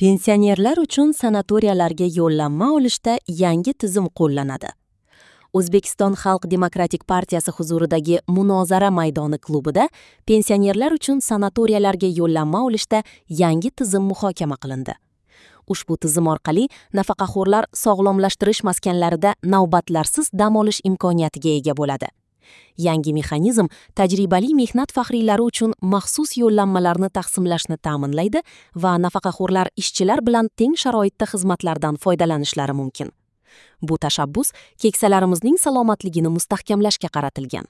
Pensionerlar uchun sanatoriyalarga yo'llanma olishda yangi tizim qo'llanadi. O'zbekiston Xalq demokratik partiyasi huzuridagi Munozara maydoni klubida pensionerlar uchun sanatoriyalarga yo'llanma olishda yangi tizim muhokama qilindi. Ushbu tizim orqali nafaqaxo'rlar sog'lomlashtirish maskanlarida navbatlarsiz dam olish imkoniyatiga ega bo'ladi. Yangi mexanizm tajribali mehnat faxriylari uchun maxsus yo'llanmalarni taqsimlashni ta'minlaydi va nafaqaxo'rlar ishchilar bilan teng sharoitda xizmatlardan foydalanishlari mumkin. Bu tashabbus keksalarimizning salomatligini mustahkamlashga qaratilgan.